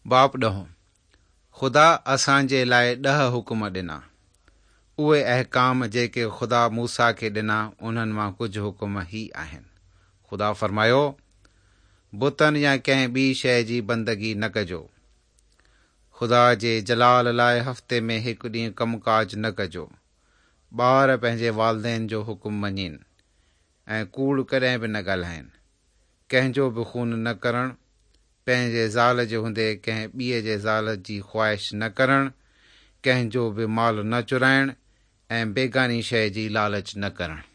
باب ڏهون، خدا اسان جي لاء ڏهه حڪم ڏنا. اهي احڪام جيڪي خدا موسيٰ کي ڏنا انهن مان ڪجهه حڪم هي آهن. خدا فرمايو، بتن يا ڪنهن ٻي شيء جي بندگي نه ڪجو. خدا جي جلال لاء هفتي ۾ هڪ ڏينهن ڪم ڪاج نه ڪجو. ٻار پنهنجي والدين جو حڪم مڃين ۽ ڪوڙ ڪڏهن به نه ڳالهائين. ڪنهن جو به خون نه ڪرڻ، پنهنجي زال جي هوندي ڪنهن ٻئي جي زال جي خواهش نه ڪرڻ، ڪنهن جو به مال نه چورائڻ ۽ بيگاني شيء جي لالچ نه ڪرڻ.